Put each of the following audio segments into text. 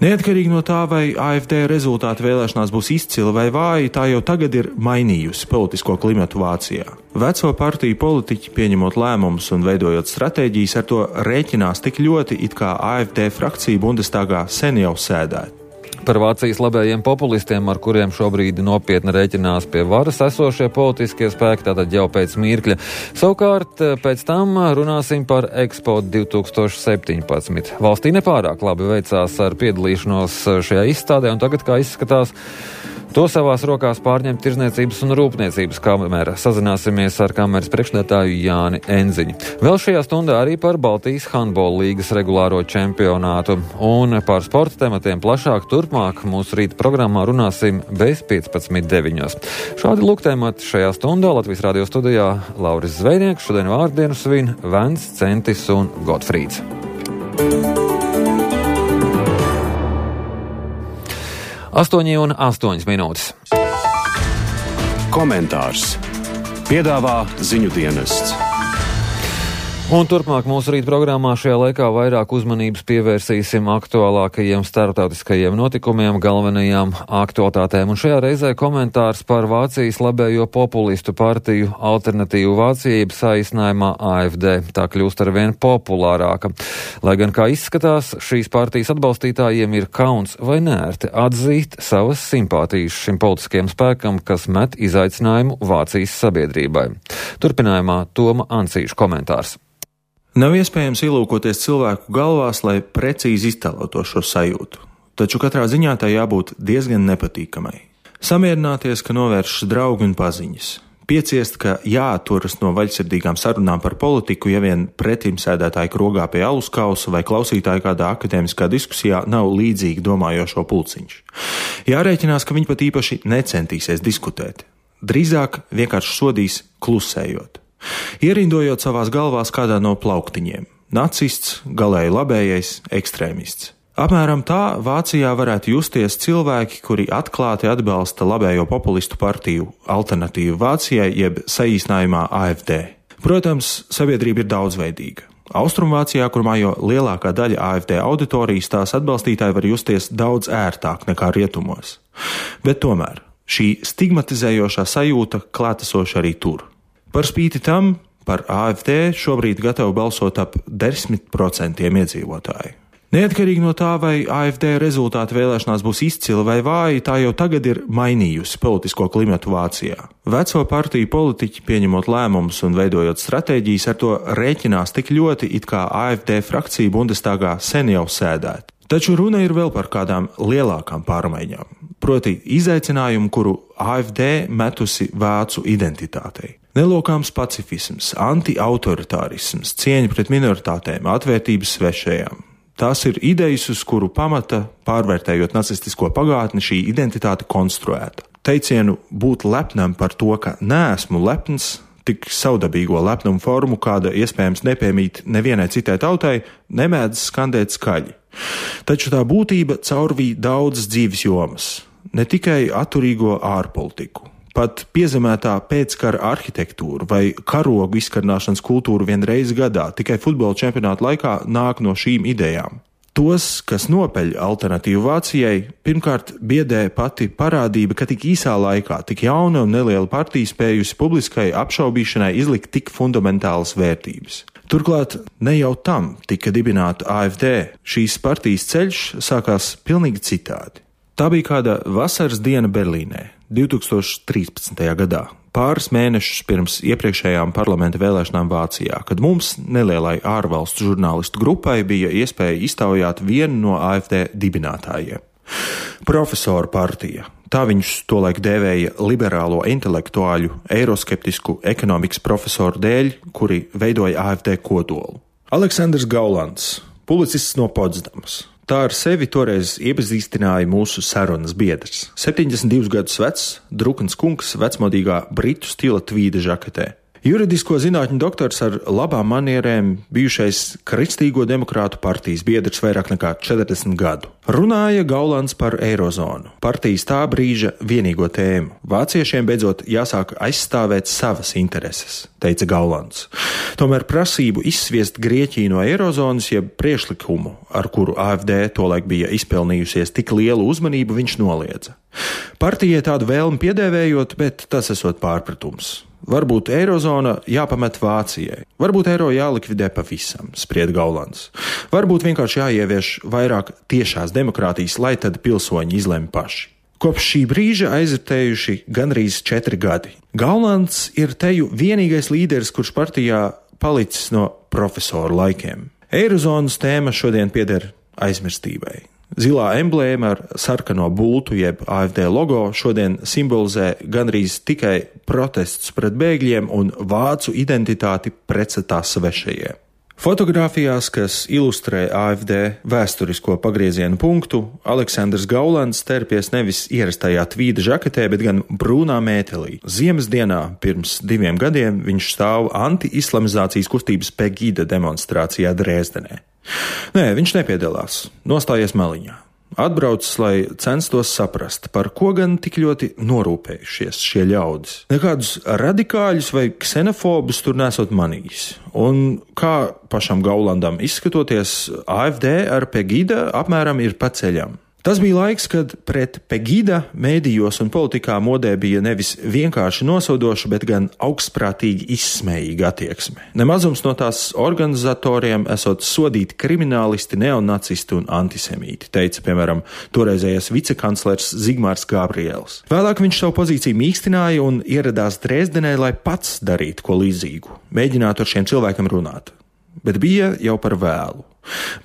Neatkarīgi no tā, vai AfD rezultāti vēlēšanās būs izcili vai vāji, tā jau tagad ir mainījusi politisko klimatu Vācijā. Veco partiju politiķi, pieņemot lēmumus un veidojot stratēģijas, ar to rēķinās tik ļoti, it kā AfD frakcija Bundestagā sen jau sēdētu. Par Vācijas labējiem populistiem, ar kuriem šobrīd nopietni rēķinās pie varas esošie politiskie spēki, tātad jau pēc mirkļa. Savukārt pēc tam runāsim par Expo 2017. Valstī nepārāk labi veicās ar piedalīšanos šajā izstādē, un tagad, kā izskatās, to savās rokās pārņem Tirzniecības un Rūpniecības kamera. Sazināsimies ar kameras priekšstādātāju Jāni Enziņu. Vēl šajā stundā arī par Baltijas handbola līgas regulāro čempionātu. Un par sporta tematiem plašāk turpmāk mūsu rīta programmā runāsim bez 15.9. Šādi lūk temati šajā stundā Latvijas radio studijā Lauris Zvejnieks, šodien vārdienu svin Vents, Centis un Gotfrīds. 8:08 minūtes. Komentārs piedāvā ziņu dienests. Un turpmāk mūsu rīta programmā šajā laikā vairāk uzmanības pievērsīsim aktuālākajiem starptautiskajiem notikumiem, galvenajām aktualitātēm. Un šajā reizē komentārs par Vācijas labējo populistu partiju Alternatīvu Vācijai saīsinājumā AfD. Tā kļūst arvien populārāka. Lai gan, kā izskatās, šīs partijas atbalstītājiem ir kauns vai nērti atzīt savas simpātijas šim politiskajam spēkam, kas met izaicinājumu Vācijas sabiedrībai. Turpinājumā Toma Ancīša komentārs. Nav iespējams ielūkoties cilvēku galvās, lai precīzi iztēlotu šo sajūtu, taču katrā ziņā tā jābūt diezgan nepatīkamai. Samierināties, ka novēršas draugi un paziņas. Pieciest, ka jāatturas no vaļsirdīgām sarunām par politiku, ja vien pretimsēdētāji krogā pie alus kausa vai klausītāji kādā akadēmiskā diskusijā nav līdzīgi domājošo pulciņš. Jārēķinās, ka viņi pat īpaši necentīsies diskutēt. Drīzāk vienkārši sodīs klusējot. Ierindojot savās galvās kādā no plauktiņiem – nacists, galēji labējais, ekstrēmists. Apmēram tā Vācijā varētu justies cilvēki, kuri atklāti atbalsta labējo populistu partiju Alternatīvu Vācijai, jeb saīsinājumā AfD. Protams, sabiedrība ir daudzveidīga. Austrumvācijā, kur mājo lielākā daļa AfD auditorijas, tās atbalstītāji var justies daudz ērtāk nekā rietumos. Bet tomēr šī stigmatizējošā sajūta klātesoša arī tur. Par spīti tam, par AfD šobrīd gatavi balsot ap 10% iedzīvotāju. Neatkarīgi no tā, vai AfD rezultāti vēlēšanās būs izcili vai vāji, tā jau tagad ir mainījusi politisko klimatu Vācijā. Veco partiju politiķi, pieņemot lēmumus un veidojot stratēģijas, ar to rēķinās tik ļoti, it kā AfD frakcija Bundestagā sen jau sēdētu. Taču runa ir vēl par kādām lielākām pārmaiņām, proti izaicinājumu, kuru AfD metusi vācu identitātei. Nelokāms pacifisms, anti-autoritārisms, cieņa pret minoritātēm, atvērtības svešajām. Tās ir idejas, uz kuru pamata, pārvērtējot nacistisko pagātni, šī identitāte konstruēta. Teicienu būt lepnam par to, ka neesmu lepns, tik savdabīgo lepnumu formu, kāda iespējams nepiemīt nevienai citai tautai, nemēdz skandēt skaļi. Taču tā būtība caurvīja daudzas dzīves jomas, ne tikai atturīgo ārpolitiku. Pat piezemētā pēckara arhitektūra vai karogu izkarināšanas kultūra vienreiz gadā tikai futbola čempionāta laikā nāk no šīm idejām. Tos, kas nopeļ Alternatīvu Vācijai, pirmkārt biedē pati parādība, ka tik īsā laikā tik jauna un neliela partija spējusi publiskai apšaubīšanai izlikt tik fundamentālas vērtības. Turklāt ne jau tam tika dibināta AfD. Šīs partijas ceļš sākās pilnīgi citādi. Tā bija kāda vasaras diena Berlīnē 2013. gadā, pāris mēnešus pirms iepriekšējām parlamenta vēlēšanām Vācijā, kad mums, nelielai ārvalstu žurnālistu grupai, bija iespēja iztaujāt vienu no AfD dibinātājiem. Profesoru partija. Tā viņus tolaik dēvēja liberālo intelektuāļu, eiroskeptisku ekonomikas profesoru dēļ, kuri veidoja AfD kodolu. Aleksandrs Gaulands, publicists no Potsdamas. Tā ar sevi toreiz iepazīstināja mūsu sarunas biedrs. 72 gadus vecs, drukns kungs vecmodīgā britu stila tvīda žaketē. Juridisko zinātņu doktors ar labām manierēm, bijušais Kristīgo demokrātu partijas biedrs vairāk nekā 40 gadu. Runāja Gaulands par eirozonu, partijas tā brīža vienīgo tēmu. Vāciešiem beidzot jāsāk aizstāvēt savas intereses, teica Gaulands. Tomēr prasību izsviest Grieķiju no eirozonas, jeb priekšlikumu, ar kuru AfD tolaik bija izpelnījusies tik lielu uzmanību, viņš noliedza. Partijai tādu vēlmi piedēvējot, bet tas esot pārpratums. Varbūt eirozona jāpamet Vācijai, varbūt eiro jālikvidē pavisam, spried Gaulands. Varbūt vienkārši jāievieš vairāk tiešās demokrātijas, lai tad pilsoņi izlemj paši. Kopš šī brīža aizritējuši gandrīz 4 gadi. Gaulands ir teju vienīgais līderis, kurš partijā palicis no profesoru laikiem. Eirozonas tēma šodien pieder aizmirstībai. Zilā emblēma ar sarkano bultu jeb AfD logo šodien simbolizē gandrīz tikai protests pret bēgļiem un vācu identitāti pretstatā svešajiem. Fotogrāfijās, kas ilustrē AfD vēsturisko pagriezienu punktu, Aleksandrs Gaulands terpies nevis ierastajā tvīda žaketē, bet gan brūnā mētelī. Ziemas dienā pirms 2 gadiem viņš stāv anti-islamizācijas kustības Pegida demonstrācijā Dresdenē. Nē, viņš nepiedalās, nostājies maliņā. Atbraucis, lai censtos saprast, par ko gan tik ļoti norūpējušies šie ļaudis. Nekādus radikāļus vai ksenofobus tur nesot manījis. Un kā pašam Gaulandam izskatoties, AfD ar Pegida apmēram ir pa ceļam. Tas bija laiks, kad pret Pegida mēdījos un politikā modē bija nevis vienkārši nosodoša, bet gan augstprātīgi izsmējīga attieksme. Nemazums no tās organizatoriem esot sodīti kriminālisti, neonacisti un antisemīti, teica, piemēram, toreizējais vicekanclers Zigmārs Gabriels. Vēlāk viņš savu pozīciju mīkstināja un ieradās Dresdenē, lai pats darītu ko līdzīgu, mēģinātu ar šiem cilvēkiem runāt. Bet bija jau par vēlu.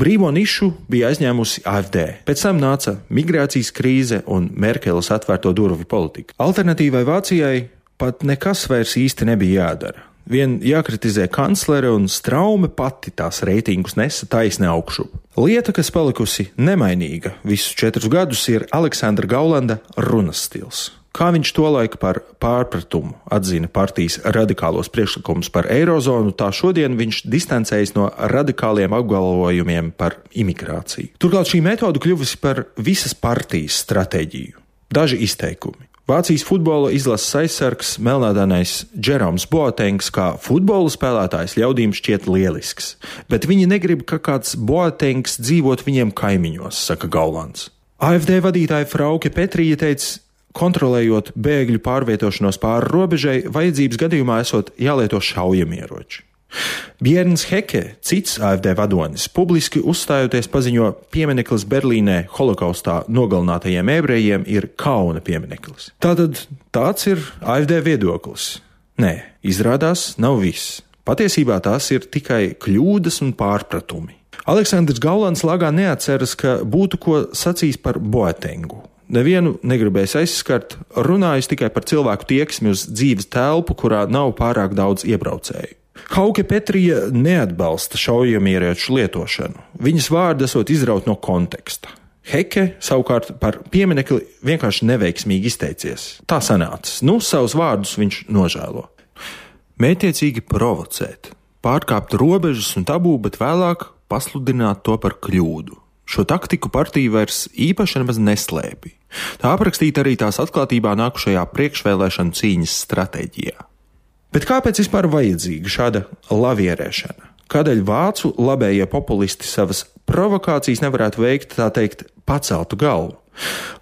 Brīvo nišu bija aizņēmusi AfD. Pēc tam nāca migrācijas krīze un Merkeles atvērto durvju politika. Alternatīvai Vācijai pat nekas vairs īsti nebija jādara. Vien jākritizē kanclere un Straume pati tās reitingus nesa taisni augšup. Lieta, kas palikusi nemainīga visus 4 gadus, ir Aleksandra Gaulanda runas stils. Kā viņš tolaik par pārpratumu atzina partijas radikālos priekšlikumus par eirozonu, tā šodien viņš distancējas no radikāliem apgalvojumiem par imigrāciju. Turklāt šī metode kļuvusi par visas partijas stratēģiju. Daži izteikumi. Vācijas futbola izlases aizsargs melnādainais Jeroms Boatengs kā futbola spēlētājs ļaudīm šķiet lielisks, bet viņi negrib, ka kāds Boatengs dzīvot viņiem kaimiņos, saka Gaulands. AfD vadītāja Frauke Petrija teica, kontrolējot bēgļu pārvietošanos pāri robežai, vajadzības gadījumā esot jālieto šaujamieroči. Bjerns Heke, cits AfD vadonis, publiski uzstājoties paziņo, piemineklis Berlīnē holokaustā nogalinātajiem ebrejiem ir kauna piemineklis. Tātad tāds ir AfD viedoklis. Nē, izrādās nav viss. Patiesībā tās ir tikai kļūdas un pārpratumi. Aleksandrs Gaulands lagā neatceras, ka būtu ko sacījis par Boatengu. Nevienu negribēs aizskart, runājis tikai par cilvēku tieksmi uz dzīves telpu, kurā nav pārāk daudz iebraucēju. Hauke Petrija neatbalsta šaujamieroču lietošanu. Viņas vārdi esot izraut no konteksta. Heke savukārt par pieminekli vienkārši neveiksmīgi izteicies. Tā sanācis. Savus vārdus viņš nožēlo. Mētiecīgi provocēt, pārkāpt robežas un tabū, bet vēlāk pasludināt to par kļūdu. Šo taktiku partija vairs īpaši nemaz neslēpj. Tā aprakstīta arī tās atklātībā nākušajā priekšvēlēšanu cīņas stratēģijā. Bet kāpēc vispār vajadzīga šāda lavierēšana? Kādēļ vācu labējie populisti savas provokācijas nevarētu veikt, tā teikt, paceltu galvu?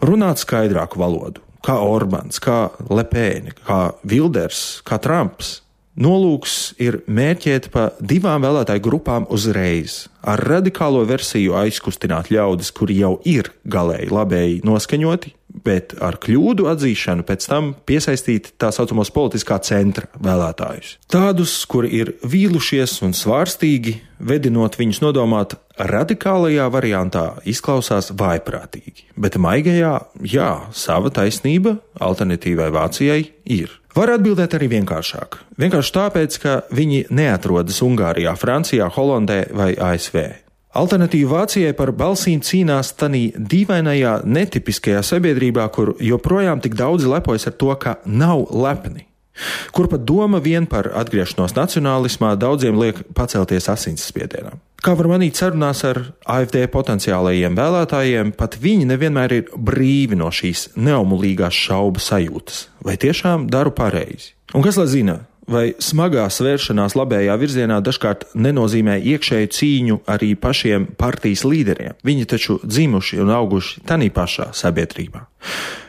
Runāt skaidrāku valodu, kā Orbāns, kā Lepēne, kā Vilders, kā Trumps. Nolūks ir mērķēt pa 2 vēlētāju grupām uzreiz, ar radikālo versiju aizkustināt ļaudis, kuri jau ir galēji labēji noskaņoti, bet ar kļūdu atzīšanu pēc tam piesaistīt tā saucamos politiskā centra vēlētājus. Tādus, kuri ir vīlušies un svārstīgi, vedinot viņus nodomāt radikālajā variantā, izklausās vājprātīgi, bet maigajā, jā, sava taisnība alternatīvai Vācijai ir. Var atbildēt arī vienkāršāk. Vienkārši tāpēc, ka viņi neatrodas Ungārijā, Francijā, Holandē vai ASV. Alternatīva Vācijai par balsīm cīnās tanī dīvainajā, netipiskajā sabiedrībā, kur joprojām tik daudzi lepojas ar to, ka nav lepni. kur pat doma vien par atgriešanos nacionālismā daudziem liek pacelties asinsspiedienā. Kā var manīt sarunās ar AfD potenciālajiem vēlētājiem, pat viņi nevienmēr ir brīvi no šīs neomulīgās šaubu sajūtas. Vai tiešām daru pareizi? Un kas lai zina, vai smagā svēršanās labējā virzienā dažkārt nenozīmē iekšēju cīņu arī pašiem partijas līderiem? Viņi taču dzimuši un auguši tanī pašā sabiedrībā.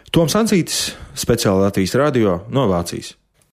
Toms Ancītis, speciāli Latvijas radio no Vācijas.